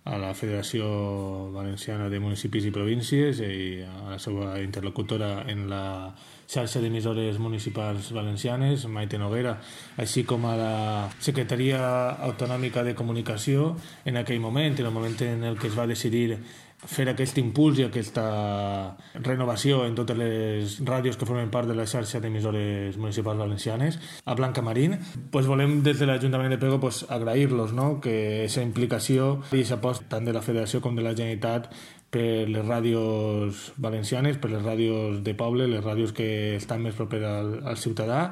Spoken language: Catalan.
a la Federació Valenciana de Municipis i Províncies i a la seva interlocutora en la xarxa d'emissores municipals valencianes, Maite Noguera, així com a la Secretaria Autonòmica de Comunicació en aquell moment, en el moment en el que es va decidir fer aquest impuls i aquesta renovació en totes les ràdios que formen part de la xarxa d'emissores municipals valencianes. A Blanca Marín, volem des de l'Ajuntament de Pego agrair-los, no? Que aquesta implicació i aquesta aposta tant de la Federació com de la Generalitat per les ràdios valencianes, per les ràdios de poble, les ràdios que estan més properes al ciutadà